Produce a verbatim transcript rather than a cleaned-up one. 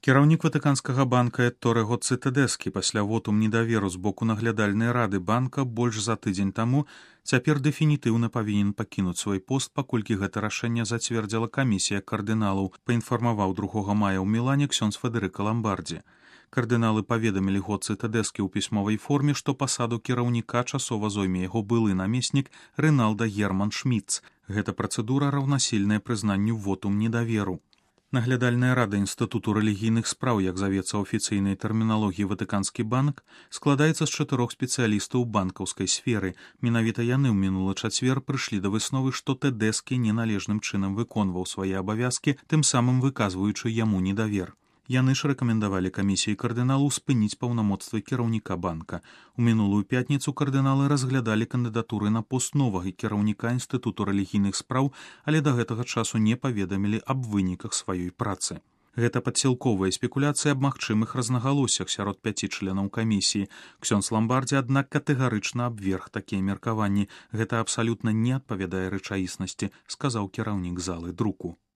Кіраўнік ватыканскага банка Этторего Цытадэскі пасля вотум недаверу з боку наглядальнай рады банка больш за тыдзень таму цяпер дэфінітыўна павінен пакінуць свой пост, паколькі гэта рашэнне зацвердзіла камісія кардыналаў, паінфармаваў другога мая ў Мілане ксёндз Федэрыка Ламбардзі. Кардыналы паведамілі год Цытадэскі ў пісьмовай форме, што пасаду кіраўніка часова зойме яго былы намеснік Рыналда Герман Шмідц. Гэта працэдура раўнасільная прызнанню вотум недаверу. Наглядальная рада Інстытуту рэлігійных спраў, як завецца афіцыйнай тэрміналогіі Ватыканскі банк, складаецца з чатырох спецыялістаў банкаўскай сферы. Менавіта яны ў мінулы чацвер прыйшлі да высновы, што Тэдэскі неналежным чынам выконваў свае абавязкі, тым самым выказваючы яму недавер. Яны ж рэкамендавалі камісіі кардыналу спыніць паўнамоцтвы кіраўніка банка. У мінулую пятніцу кардыналы разглядалі кандыдатуры на пост новага кіраўніка Інстытуту рэлігійных спраў, але да гэтага часу не паведамілі аб выніках сваёй працы. Гэта падсілковая спекуляцыя аб магчымых рознагалоссях сярод пяці членаў камісіі. Ксёндз Ламбардзі, аднак, катэгарычна абверг такія меркаванні. Гэта абсалютна не адпавядае рэчаіснасці, сказаў кіраўнік залы друку.